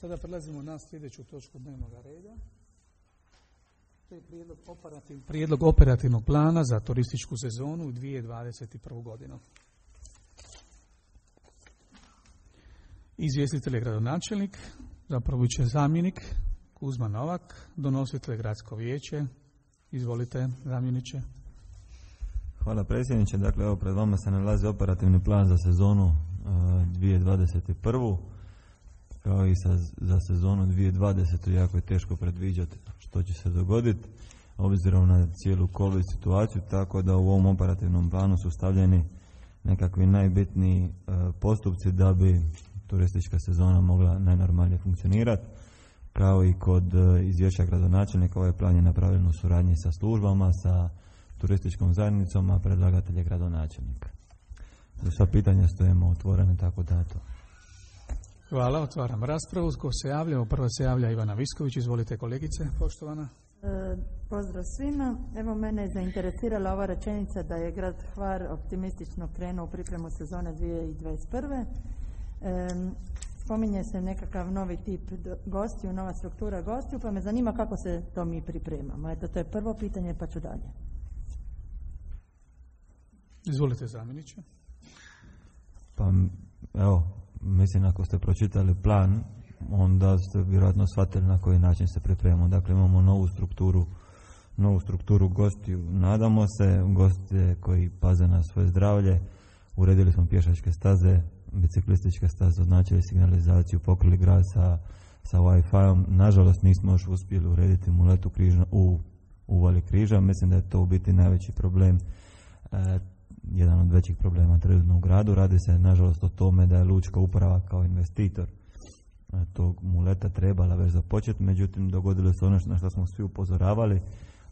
Sada prelazimo na sljedeću točku dnevnog reda. To je prijedlog operativnog plana za turističku sezonu u 2021. godinu. Izvjestitelj je gradonačelnik, zapravo će zamjenik Kuzma Novak, donositelj gradsko vijeće. Izvolite, zamjeniče. Hvala predsjedniče. Dakle, evo pred vama se nalazi operativni plan za sezonu 2021. Kao i za sezonu 2020. jako je teško predviđati što će se dogoditi obzirom na cijelu COVID situaciju, tako da u ovom operativnom planu su stavljeni nekakvi najbitniji postupci da bi turistička sezona mogla najnormalnije funkcionirati. Kao i kod izvješća gradonačelnika, ovaj plan je napravljen u suradnji sa službama, sa turističkom zajednicom, a predlagatelj je gradonačelnika. Za sva pitanja stojimo otvorene, tako da to. Hvala, otvaram raspravu. Ko se javlja? Prva se javlja Ivana Visković. Izvolite, kolegice, poštovana. Pozdrav svima. Evo, mene je zainteresirala ova rečenica da je grad Hvar optimistično krenuo u pripremu sezone 2021. Spominje se nekakav novi tip gostiju, nova struktura gostiju, pa me zanima kako se to mi pripremamo. Eto, to je prvo pitanje, pa ću dalje. Izvolite, zamjeniče. Pa, evo, mislim ako ste pročitali plan, onda ste vjerojatno shvatili na koji način se pripremamo. Dakle, imamo novu strukturu gostiju. Nadamo se, goste koji paze na svoje zdravlje, uredili smo pješačke staze, biciklističke staze, označili signalizaciju, pokrili grad sa Wi-Fi-om. Nažalost, nismo još uspjeli urediti muletu u uvali križa. Mislim da je to u biti najveći problem, jedan od većih problema trenutno u gradu. Radi se, nažalost, o tome da je lučka uprava kao investitor tog muleta trebala već započeti, međutim, dogodilo se ono na što smo svi upozoravali,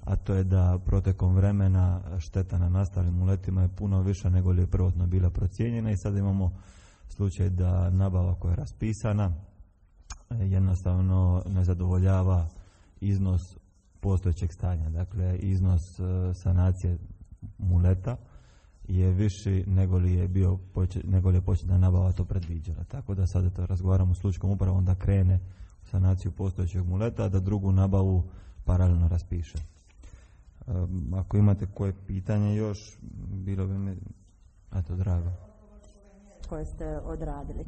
a to je da protekom vremena šteta na nastalim muletima je puno više nego li je prvotno bila procijenjena i sad imamo slučaj da nabava koja je raspisana jednostavno ne zadovoljava iznos postojećeg stanja. Dakle, iznos sanacije muleta je viši nego li je početna nabava to predviđala. Tako da sada to razgovaramo s lučkom upravom da krene u sanaciju postojećeg muleta, a da drugu nabavu paralelno raspiše. Ako imate koje pitanje još, bilo bi mi drago. Koje ste odradili.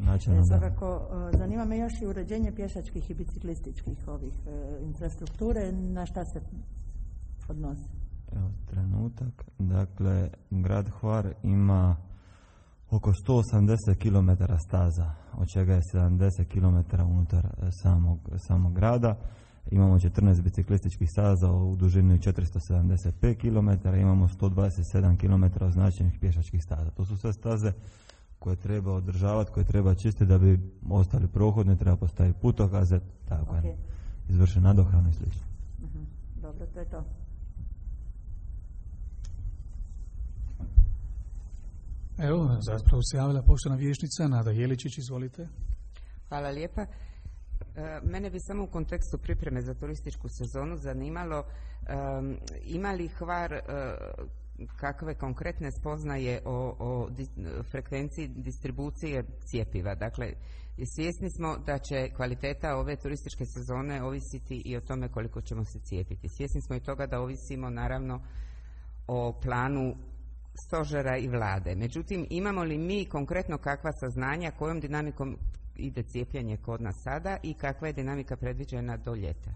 Svakako, zanima me još i uređenje pješačkih i biciklističkih infrastrukture, na šta se odnosi? Evo, trenutak. Dakle, grad Hvar ima oko 180 km staza, od čega je 70 km unutar samog grada. Imamo 14 biciklističkih staza u dužini 475 km, imamo 127 km označenih pješačkih staza. To su sve staze koje treba održavati, koje treba čistiti da bi ostali prohodni, treba postaviti putokaze, tako je, izvršen nadohranu i sl. Dobro, to je to. Evo, zapravo se javila poštovana vijećnica Nada Jeličić, izvolite. Hvala lijepa. Mene bi samo u kontekstu pripreme za turističku sezonu zanimalo ima li Hvar kakve konkretne spoznaje o frekvenciji distribucije cjepiva. Dakle, svjesni smo da će kvaliteta ove turističke sezone ovisiti i o tome koliko ćemo se cijepiti. Svjesni smo i toga da ovisimo naravno o planu stožera i vlade. Međutim, imamo li mi konkretno kakva saznanja kojom dinamikom ide cijepljenje kod nas sada i kakva je dinamika predviđena do ljeta?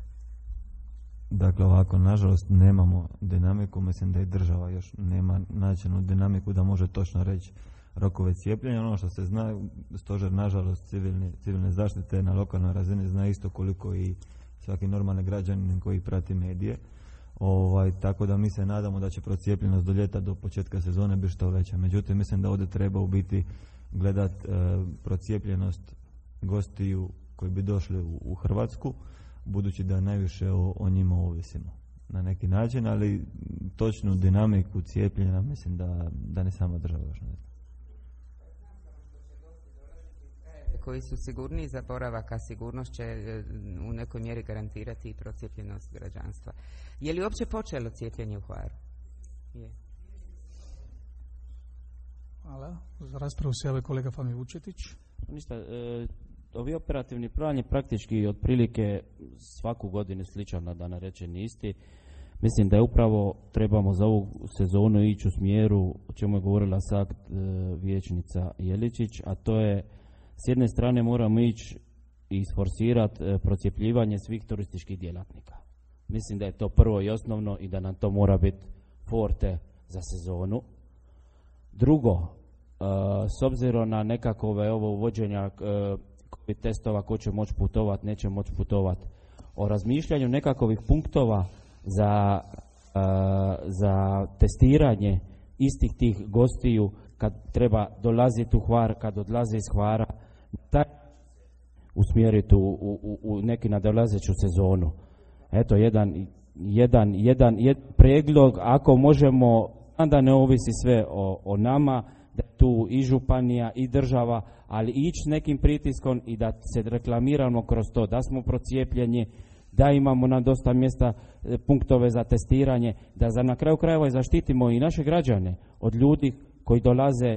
Dakle, ovako, nažalost, nemamo dinamiku. Mislim da i država još nema načinu dinamiku da može točno reći rokove cijepljenja. Ono što se zna, stožer, nažalost, civilne zaštite na lokalnoj razini zna isto koliko i svaki normalni građanin koji prati medije. Tako da mi se nadamo da će procijepljenost do ljeta, do početka sezone biti što veća. Međutim, mislim da ovdje treba u biti gledati procijepljenost gostiju koji bi došli u Hrvatsku, budući da najviše o njima ovisimo na neki način, ali točnu dinamiku cijepljenja mislim da ne sama država još ne zna. Koji su sigurniji za boravak, a sigurnost će u nekoj mjeri garantirati i procijepljenost građanstva. Je li uopće počelo cijepljenje u Hvaru? Je. Hvala. Za raspravu se javio kolega Fami Vučetić. Ništa, ovi operativni plan je praktički otprilike svaku godinu sličan, da ne rečem isti. Mislim da je upravo trebamo za ovu sezonu ići u smjeru o čemu je govorila sad vijećnica Jeličić, a to je s jedne strane moramo ići i isforsirati procjepljivanje svih turističkih djelatnika. Mislim da je to prvo i osnovno i da nam to mora biti forte za sezonu. Drugo, s obzirom na nekakove ovo uvođenja COVID testova, ko će moći putovati, neće moći putovati, o razmišljanju nekakvih punktova za testiranje istih tih gostiju kad treba dolaziti u Hvar, kad odlaze iz Hvara, taj usmjeriti u neki nadolazeću sezonu. Eto, jedan pregled, ako možemo, da ne ovisi sve o nama, da je tu i županija i država, ali ići nekim pritiskom i da se reklamiramo kroz to, da smo procijepljeni, da imamo na dosta mjesta punktove za testiranje, da na kraju krajeva zaštitimo i naše građane od ljudi koji dolaze,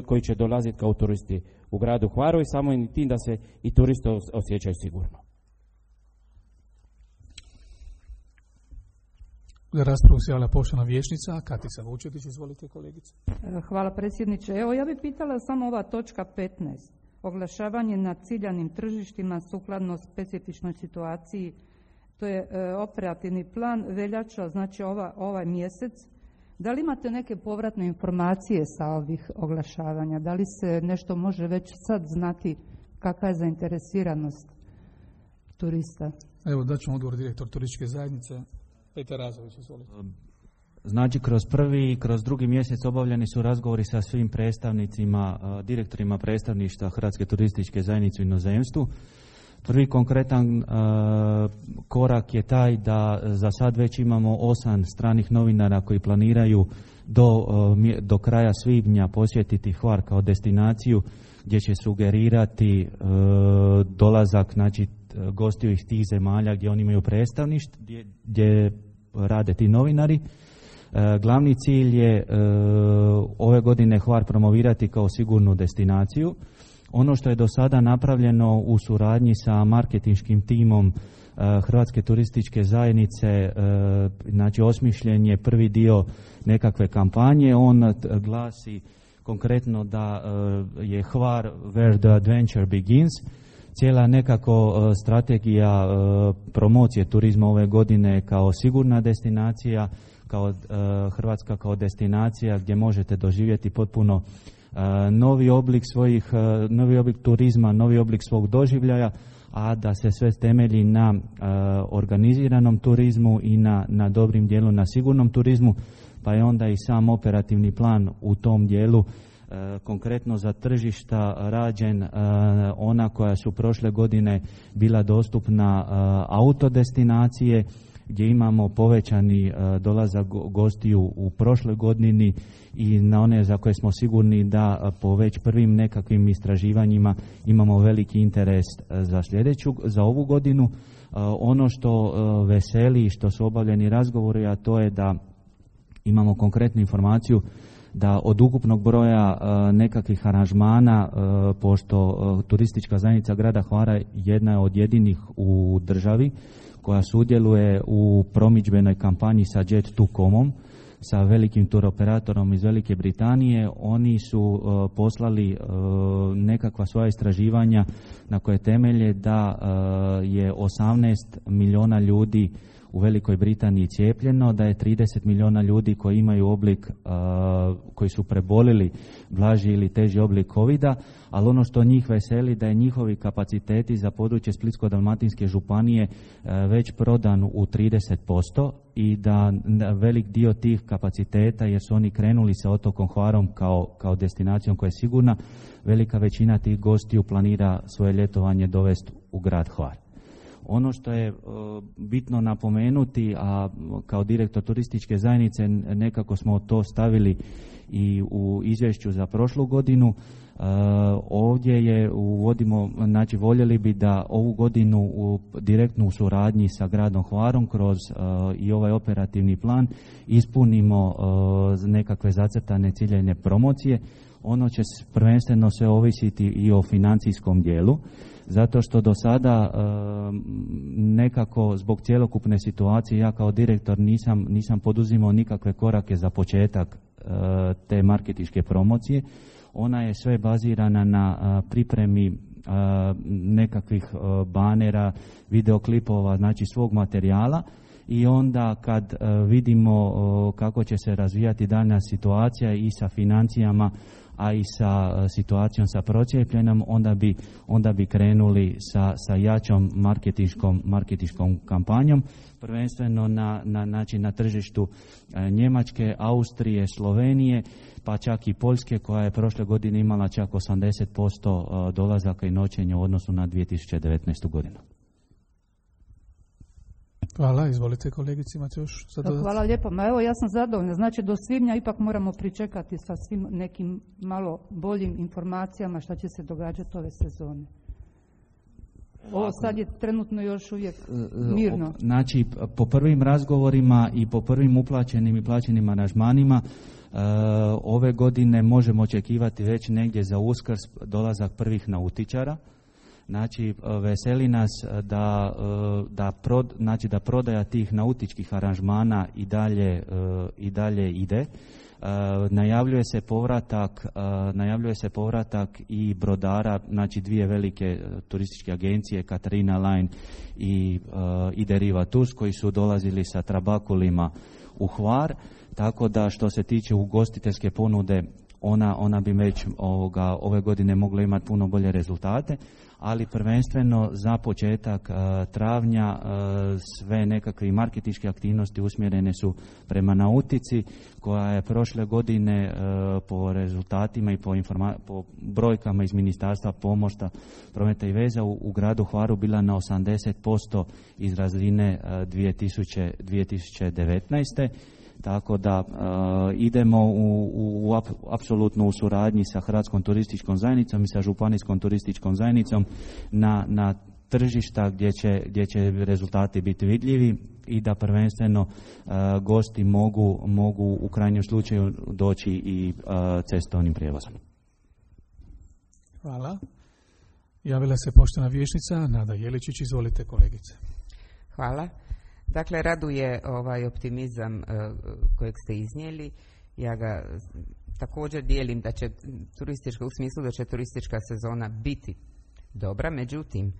koji će dolaziti kao turisti u gradu Hvaru i samo i tim da se i turisti osjećaju sigurno. Za raspravu se javlja poštovana vijećnica Katica Vučetić. Izvolite, kolegice. Hvala, predsjedniče. Evo, ja bih pitala samo ova točka 15. Oglašavanje na ciljanim tržištima sukladno specifičnoj situaciji. To je operativni plan veljača, znači ovaj mjesec. Da li imate neke povratne informacije sa ovih oglašavanja? Da li se nešto može već sad znati kakva je zainteresiranost turista? Evo, daćemo odgovor direktor turističke zajednice. Petar Razović, izvolite. Znači, kroz prvi i kroz drugi mjesec obavljeni su razgovori sa svim predstavnicima, direktorima predstavništva Hrvatske turističke zajednice u inozemstvu. Prvi konkretan korak je taj da za sad već imamo 8 stranih novinara koji planiraju do kraja svibnja posjetiti Hvar kao destinaciju gdje će sugerirati dolazak, znači, gostiju iz tih zemalja gdje oni imaju predstavništvo, gdje rade ti novinari. Glavni cilj je ove godine Hvar promovirati kao sigurnu destinaciju. Ono što je do sada napravljeno u suradnji sa marketinškim timom Hrvatske turističke zajednice, znači osmišljen je prvi dio nekakve kampanje. On glasi konkretno da je Hvar where the adventure begins. Cijela nekako strategija promocije turizma ove godine kao sigurna destinacija, kao Hrvatska kao destinacija gdje možete doživjeti potpuno novi oblik turizma, novi oblik svog doživljaja, a da se sve temelji na organiziranom turizmu i na dobrim dijelu na sigurnom turizmu, pa je onda i sam operativni plan u tom dijelu konkretno za tržišta rađen, ona koja su prošle godine bila dostupna autodestinacije, gdje imamo povećani dolazak gostiju u prošloj godini i na one za koje smo sigurni da po već prvim nekakvim istraživanjima imamo veliki interes za ovu godinu. Ono što veseli i što su obavljeni razgovori, a to je da imamo konkretnu informaciju da od ukupnog broja nekakvih aranžmana, pošto turistička zajednica grada Hvara jedna je od jedinih u državi koja sudjeluje u promidžbenoj kampanji sa Jet2.com, sa velikim turoperatorom iz Velike Britanije. Oni su poslali nekakva svoja istraživanja na koje temelje da je 18 milijuna ljudi u Velikoj Britaniji cijepljeno, da je 30 milijuna ljudi koji imaju oblik, koji su prebolili blaži ili teži oblik COVID-a, ali ono što njih veseli da je njihovi kapaciteti za područje Splitsko-dalmatinske županije već prodan u 30% i da velik dio tih kapaciteta, jer su oni krenuli sa otokom Hvarom kao destinacijom koja je sigurna, velika većina tih gostiju planira svoje ljetovanje dovesti u grad Hvar. Ono što je bitno napomenuti, a kao direktor turističke zajednice nekako smo to stavili i u izvješću za prošlu godinu, ovdje uvodimo, znači voljeli bi da ovu godinu direktno u suradnji sa gradom Hvarom kroz i ovaj operativni plan ispunimo nekakve zacrtane ciljane promocije. Ono će prvenstveno se ovisiti i o financijskom dijelu. zato što do sada nekako zbog cjelokupne situacije ja kao direktor nisam poduzimao nikakve korake za početak te marketinške promocije. Ona je sve bazirana na pripremi nekakvih banera, videoklipova, znači svog materijala, i onda kad vidimo kako će se razvijati daljnja situacija i sa financijama, a i sa situacijom sa procijepljenom, onda bi krenuli sa jačom marketinškom kampanjom, prvenstveno na tržištu Njemačke, Austrije, Slovenije, pa čak i Poljske, koja je prošle godine imala čak 80% dolazaka i noćenja u odnosu na 2019. godinu. Hvala, izvolite kolegici, imate još za dodati? Hvala lijepo, evo ja sam zadovoljna, znači do svibnja ipak moramo pričekati sa svim nekim malo boljim informacijama šta će se događati ove sezone. Ovo sad je trenutno još uvijek mirno. Znači, po prvim razgovorima i po prvim uplaćenim i plaćenim aranžmanima, ove godine možemo očekivati već negdje za Uskrs dolazak prvih nautičara. Znači, veseli nas da prodaja tih nautičkih aranžmana i dalje ide. Najavljuje se povratak i brodara, znači dvije velike turističke agencije, Katarina Line i Deriva Tours, koji su dolazili sa trabakulima u Hvar, tako da što se tiče ugostiteljske ponude, ona bi već ove godine mogla imati puno bolje rezultate, ali prvenstveno za početak travnja sve nekakve marketinške aktivnosti usmjerene su prema nautici, koja je prošle godine po rezultatima i po brojkama iz Ministarstva pomorstva, prometa i veza u gradu Hvaru bila na 80% iz razine 2019. Tako da idemo apsolutno u suradnji sa Hrvatskom turističkom zajednicom i sa Županijskom turističkom zajednicom na tržišta gdje će rezultati biti vidljivi i da prvenstveno gosti mogu u krajnjem slučaju doći i cestovnim prijevozom. Hvala. Javila se poštovana vijećnica Nada Jeličić, izvolite kolegice. Hvala. Dakle, raduje ovaj optimizam kojeg ste iznijeli. Ja ga također dijelim da će u smislu da će turistička sezona biti dobra, međutim,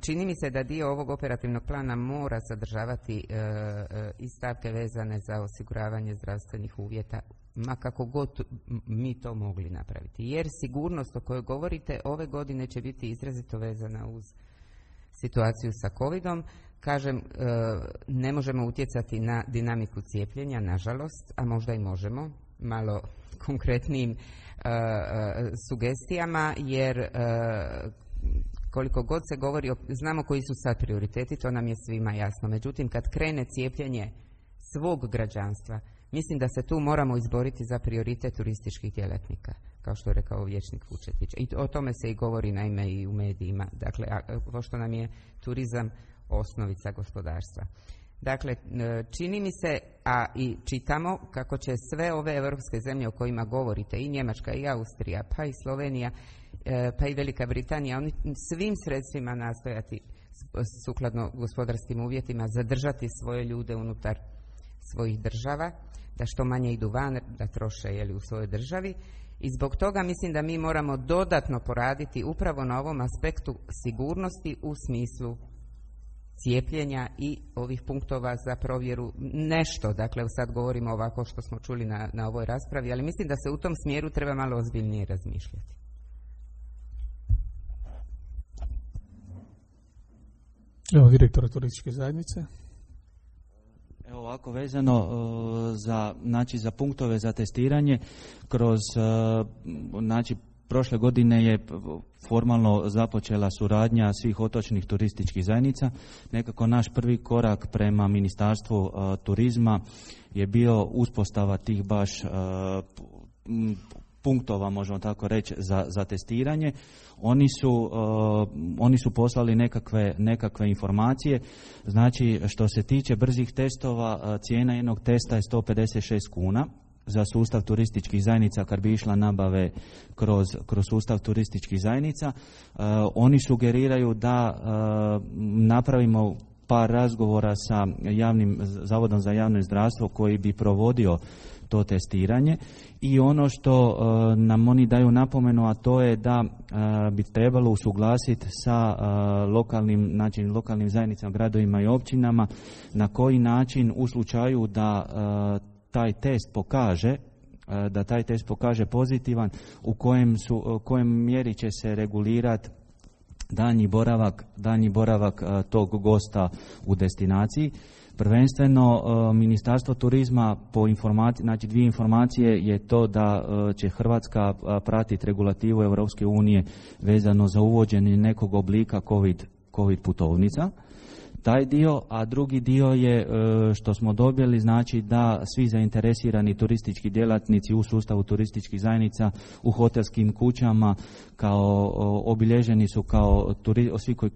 čini mi se da dio ovog operativnog plana mora sadržavati i stavke vezane za osiguravanje zdravstvenih uvjeta, ma kako god mi to mogli napraviti. Jer sigurnost o kojoj govorite ove godine će biti izrazito vezana uz situaciju sa covidom. Kažem, ne možemo utjecati na dinamiku cijepljenja, nažalost, a možda i možemo, malo konkretnijim sugestijama, jer koliko god se govori, znamo koji su sad prioriteti, to nam je svima jasno. Međutim, kad krene cijepljenje svog građanstva, mislim da se tu moramo izboriti za prioritet turističkih djelatnika, kao što je rekao vijećnik Vučetić. I o tome se i govori naime i u medijima, dakle, pošto nam je turizam osnovica gospodarstva. Dakle, čini mi se, a i čitamo kako će sve ove europske zemlje o kojima govorite, i Njemačka i Austrija, pa i Slovenija, pa i Velika Britanija, oni svim sredstvima nastojati sukladno gospodarskim uvjetima zadržati svoje ljude unutar svojih država, da što manje idu van, da troše u svojoj državi. I zbog toga mislim da mi moramo dodatno poraditi upravo na ovom aspektu sigurnosti u smislu cijepljenja i ovih punktova za provjeru nešto. Dakle, sad govorimo ovako što smo čuli na ovoj raspravi, ali mislim da se u tom smjeru treba malo ozbiljnije razmišljati. Evo, direktor turističke zajednice. Evo ovako, vezano za punktove za testiranje, kroz prošle godine je formalno započela suradnja svih otočnih turističkih zajednica. Nekako naš prvi korak prema Ministarstvu turizma je bio uspostava tih baš punktova, možemo tako reći, za testiranje. Oni su poslali nekakve informacije. Znači, što se tiče brzih testova, cijena jednog testa je 156 kuna. za sustav turističkih zajednica kad bi išla nabave kroz sustav turističkih zajednica. Oni sugeriraju da napravimo par razgovora sa javnim Zavodom za javno zdravstvo koji bi provodio to testiranje i ono što nam oni daju napomenu, a to je da bi trebalo usuglasiti sa lokalnim zajednicama, gradovima i općinama na koji način u slučaju da taj test pozitivan, u kojem mjeri će se regulirati daljnji boravak tog gosta u destinaciji. Prvenstveno Ministarstvo turizma znači dvije informacije je to da će Hrvatska pratiti regulativu Europske unije vezano za uvođenje nekog oblika COVID putovnica. Taj dio, a drugi dio je što smo dobili, znači da svi zainteresirani turistički djelatnici u sustavu turističkih zajednica u hotelskim kućama kao obilježeni su kao svi koji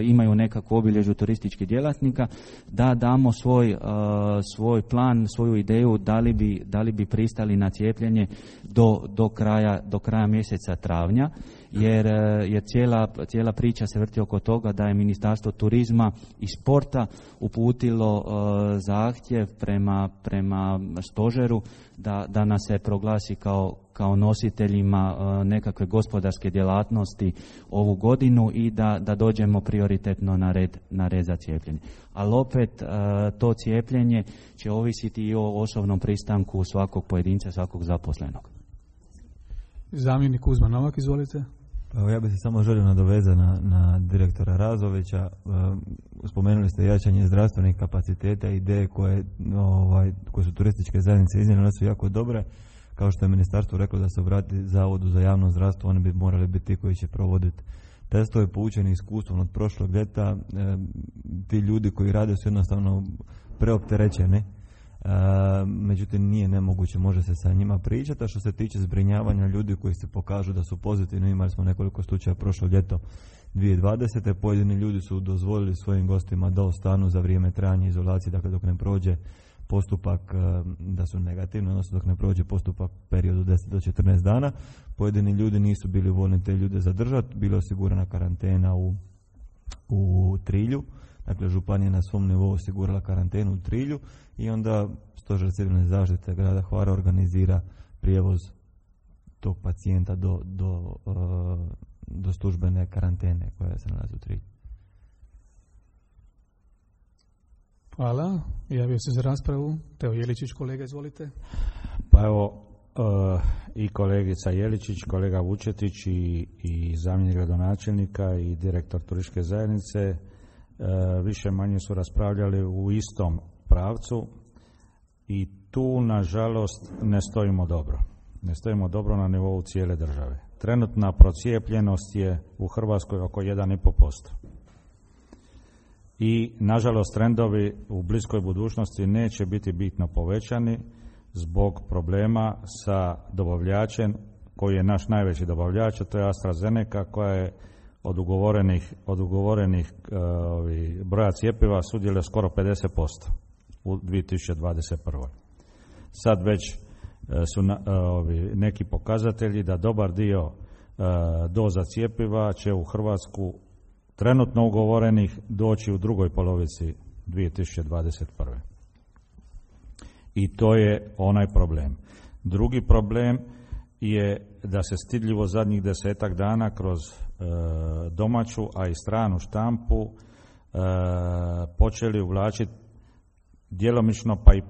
imaju nekakvu obilježju turističkih djelatnika, da damo svoj plan, svoju ideju da li bi pristali na cijepljenje do kraja mjeseca travnja. Jer cijela priča se vrti oko toga da je Ministarstvo turizma i sporta uputilo zahtjev prema stožeru da nas se proglasi kao nositeljima nekakve gospodarske djelatnosti ovu godinu i da dođemo prioritetno na red za cijepljenje. Ali opet to cijepljenje će ovisiti i o osobnom pristanku svakog pojedinca, svakog zaposlenog. Zamjenik Kuzma Novak, izvolite. Ja bih se samo želio nadovezati na direktora Razovića. Spomenuli ste jačanje zdravstvenih kapaciteta i ideje koje su turističke zajednice iznijele, su jako dobre. Kao što je ministarstvo reklo da se obrati Zavodu za javno zdravstvo, oni bi morali biti ti koji će provoditi testove. Poučeni iskustvom od prošlog ljeta, ti ljudi koji rade su jednostavno preopterećeni. Međutim, nije nemoguće, može se sa njima pričati. A što se tiče zbrinjavanja ljudi koji se pokažu da su pozitivni, imali smo nekoliko slučaja prošlo ljeto 2020. Pojedini ljudi su dozvolili svojim gostima da ostanu za vrijeme trajanja izolacije, dakle dok ne prođe postupak da su negativni, odnosno dok ne prođe postupak periodu 10 do 14 dana. Pojedini ljudi nisu bili voljni te ljude zadržati, bila je osigurana karantena u Trilju. Dakle, županija na svom nivou osigurala karantenu u Trilju i onda Stožer civilne zaštite grada Hvara organizira prijevoz tog pacijenta do službene karantene koja se nalazi u Trilju. Hvala. Javio se za raspravu Teo Jeličić, kolega, izvolite. Pa evo, i kolegica Jeličić, kolega Vučetić i zamjenik gradonačelnika i direktor turističke zajednice više manje su raspravljali u istom pravcu i tu nažalost ne stojimo dobro. Ne stojimo dobro na nivou cijele države. Trenutna procijepljenost je u Hrvatskoj oko 1,5%. I nažalost trendovi u bliskoj budućnosti neće biti bitno povećani zbog problema sa dobavljačem koji je naš najveći dobavljač, a to je AstraZeneca, koja je od ugovorenih broja cjepiva sudjeluje skoro 50% u 2021. Sad već su neki pokazatelji da dobar dio doza cjepiva će u Hrvatsku trenutno ugovorenih doći u drugoj polovici 2021. I to je onaj problem. Drugi problem je da se stidljivo zadnjih 10 dana kroz domaću, a i stranu štampu počeli uvlačiti djelomično pa i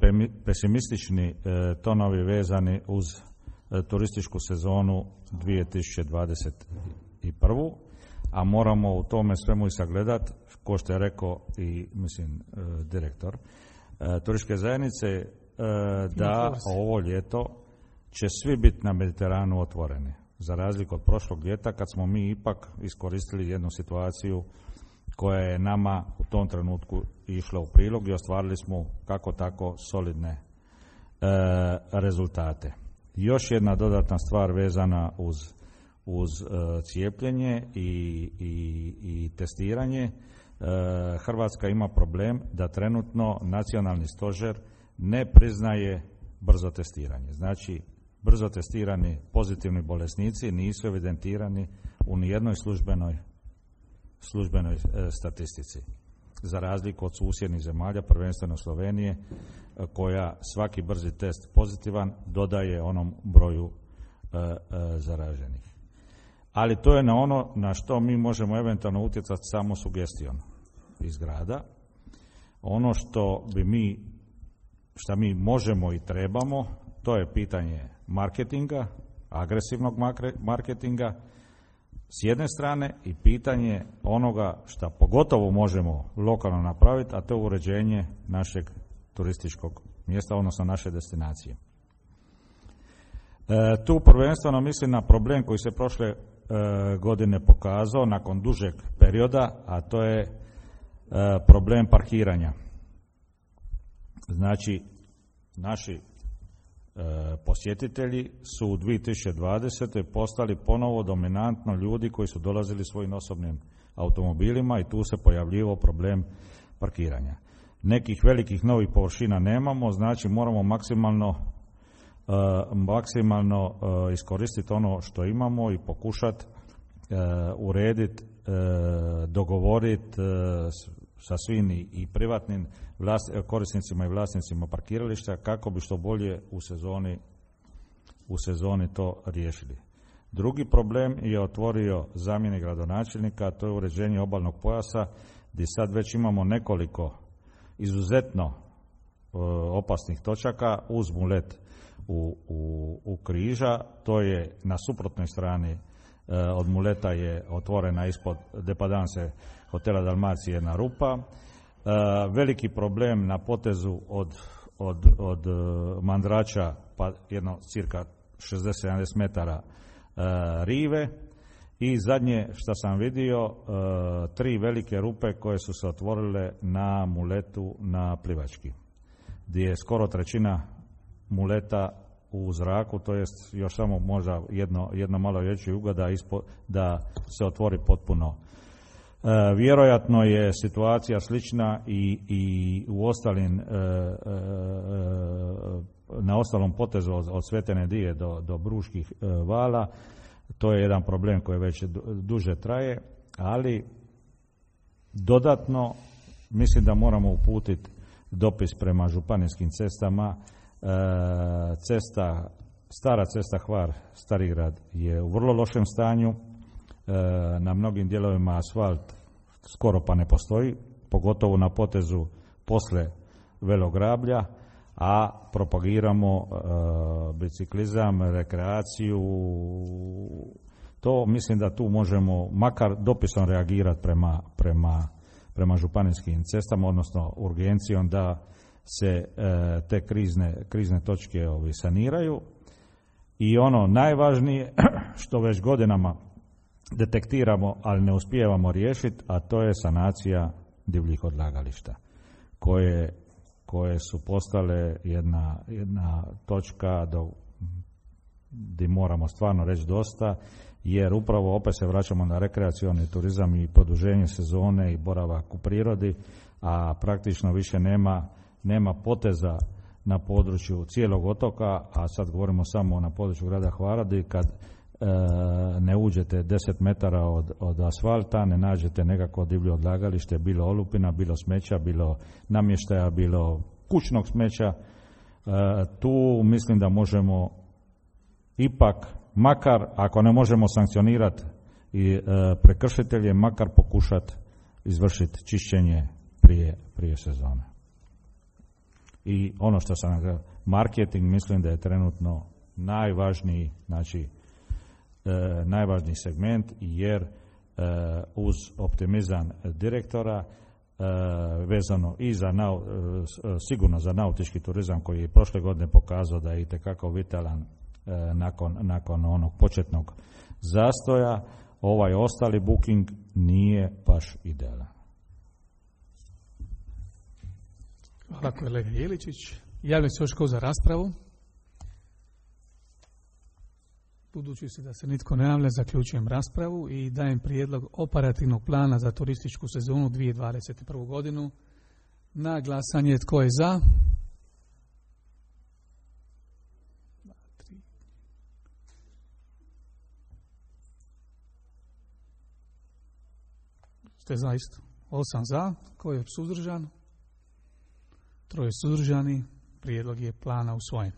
pesimistični tonovi vezani uz turističku sezonu 2021. A moramo u tome svemu i sagledati, ko što je rekao i direktor turističke zajednice, da ovo ljeto će svi biti na Mediteranu otvoreni. Za razliku od prošlog ljeta kad smo mi ipak iskoristili jednu situaciju koja je nama u tom trenutku išla u prilog i ostvarili smo kako tako solidne rezultate. Još jedna dodatna stvar vezana uz cijepljenje i testiranje. Hrvatska ima problem da trenutno nacionalni stožer ne priznaje brzo testiranje. Znači, brzo testirani pozitivni bolesnici nisu evidentirani u nijednoj službenoj statistici. Za razliku od susjednih zemalja, prvenstveno Slovenije, koja svaki brzi test pozitivan dodaje onom broju zaraženih. Ali to je na ono na što mi možemo eventualno utjecati samo sugestijom iz grada. Ono što mi možemo i trebamo, to je pitanje marketinga, agresivnog marketinga s jedne strane i pitanje onoga što pogotovo možemo lokalno napraviti, a to je uređenje našeg turističkog mjesta, odnosno naše destinacije. Tu prvenstveno mislim na problem koji se prošle godine pokazao nakon dužeg perioda, a to je problem parkiranja. Znači, naši posjetitelji su u 2020. postali ponovo dominantno ljudi koji su dolazili svojim osobnim automobilima i tu se pojavljivao problem parkiranja. Nekih velikih novih površina nemamo, znači moramo maksimalno iskoristiti ono što imamo i pokušati urediti, dogovoriti sa svim i privatnim korisnicima i vlasnicima parkirališta kako bi što bolje u sezoni to riješili. Drugi problem je otvorio zamjenik gradonačelnika, to je uređenje obalnog pojasa, gdje sad već imamo nekoliko izuzetno opasnih točaka uz Mulet u Križa. To je na suprotnoj strani od Muleta je otvorena ispod Depadanse hotela Dalmacije jedna rupa. Veliki problem na potezu od Mandrača pa jedno cirka 60-70 metara rive i zadnje što sam vidio 3 velike rupe koje su se otvorile na Muletu na Plivački, gdje je skoro trećina Muleta u zraku, to jest još samo možda jedno malo veći ugao da se otvori potpuno. Vjerojatno je situacija slična i u ostalim na ostalom potezu od Svete Nedije do Bruških vala. To je jedan problem koji već duže traje, ali dodatno mislim da moramo uputiti dopis prema županijskim cestama. Stara cesta Hvar-Starigrad je u vrlo lošem stanju. Na mnogim dijelovima asfalt skoro pa ne postoji, pogotovo na potezu posle Velograblja, a propagiramo biciklizam, rekreaciju. To mislim da tu možemo makar dopisom reagirati prema županijskim cestama, odnosno urgencijom da se te krizne točke saniraju. I ono najvažnije što već godinama detektiramo, ali ne uspijevamo riješiti, a to je sanacija divljih odlagališta koje su postale jedna točka gdje moramo stvarno reći dosta, jer upravo opet se vraćamo na rekreacioni turizam i produženje sezone i boravak u prirodi, a praktično više nema poteza na području cijelog otoka, a sad govorimo samo na području grada Hvara, gdje kad ne uđete 10 metara od asfalta, ne nađete nekako divlje odlagalište, bilo olupina, bilo smeća, bilo namještaja, bilo kućnog smeća. Tu mislim da možemo ipak, makar ako ne možemo sankcionirati i prekršitelje, makar pokušati izvršiti čišćenje prije sezone. I ono što sam marketing, mislim da je trenutno najvažniji, znači najvažniji segment, jer uz optimizam direktora vezano i sigurno za nautički turizam koji je prošle godine pokazao da je itekako vitalan nakon onog početnog zastoja, ovaj ostali booking nije baš idealan. Hvala kolega Jeličić. Javlja se još ko za raspravu? Budući se da se nitko ne javlja, zaključujem raspravu i dajem prijedlog operativnog plana za turističku sezonu 2021. godinu. Na glasanje tko je za? ste za isto? 8 za, ko je suzdržan? 3 suzdržani, prijedlog je plana usvojen.